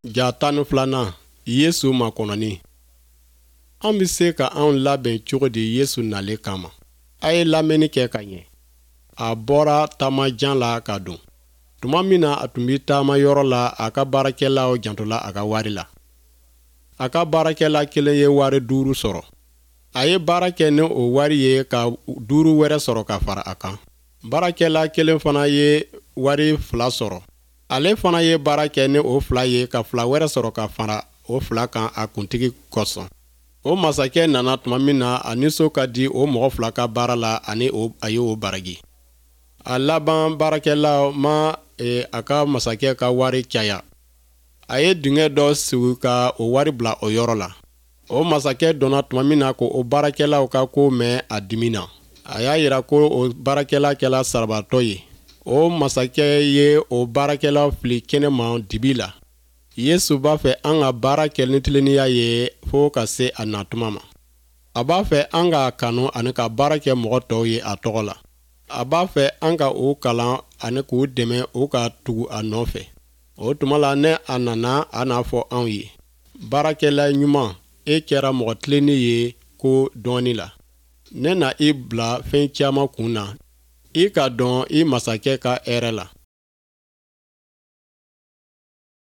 Ja 12nan, Yesu makɔnɔni. An bɛ se ka anw labɛn cogo di Yesu nalen kama? A ye lamɛnni kɛ ka ɲɛ. A bɔra taama jan la ka don. Tuma min na a tun bɛ taama yɔrɔ la, a ka baarakɛlaw jantola a ka wari la. A ka baarakɛla kelen ye wari duuru sɔrɔ. A ye baara kɛ ni o wari ye ka duuru wɛrɛ sɔrɔ ka fara a kan. Baarakɛla kelen fana ye wari fila sɔrɔ. Ale fana ye baara kɛ ni o fila ye ka fila wɛrɛ sɔrɔ ka fara o fila kan a kuntigi kosɔn. O masakɛ nana tuma min na, a nisɔn ka di o mɔgɔ fila ka baara la ani a ye o baraji. A laban baarakɛla ma e, a ka masakɛ ka wari caya. A ye dingɛ dɔ sigi ka o wari bila o yɔrɔ la. O masakɛ donna tuma min na ko o baarakɛlaw ka ko mɛn a dimina. A y'a jira ko o baarakɛla kɛla sarabatɔ ye. O masakɛ ye o baarakɛla fili kɛnɛma dibi la. Yesu b'a fɛ an ka baara kɛ ni tilennenya ye fo ka se a natuma ma. A b'a fɛ an k'a kanu ani ka baara kɛ mɔgɔ tɔw ye a tɔgɔ la. A b'a fɛ an ka u kalan ani k'u dɛmɛ u ka tugu a nɔfɛ. O tuma la ne a nana a n'a fɔ anw ye. Baarakɛla ɲuman, e kɛra mɔgɔ tilennen ye ko dɔɔni la. Ne na i bila fɛn caman kun na. I ka dɔn i masakɛ ka hɛrɛ la.